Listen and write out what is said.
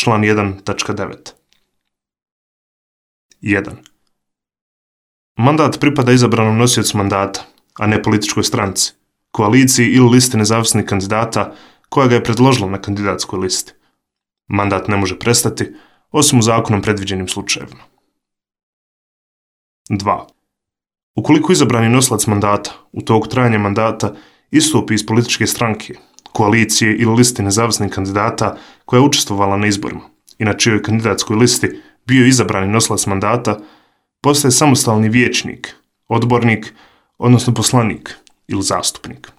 član 1.9. 1. Mandat pripada izabranom nosiocu mandata, a ne političkoj stranci, koaliciji ili listi nezavisnih kandidata koja ga je predložila na kandidatskoj listi. Mandat ne može prestati, osim u zakonom predviđenim slučajevima. 2. Ukoliko izabrani nosilac mandata u toku trajanja mandata istupi iz političke stranke, koalicije ili listi nezavisnih kandidata koja je učestvovala na izborima i na čijoj kandidatskoj listi bio izabrani nosilac mandata, postaje samostalni vijećnik, odbornik, odnosno poslanik ili zastupnik.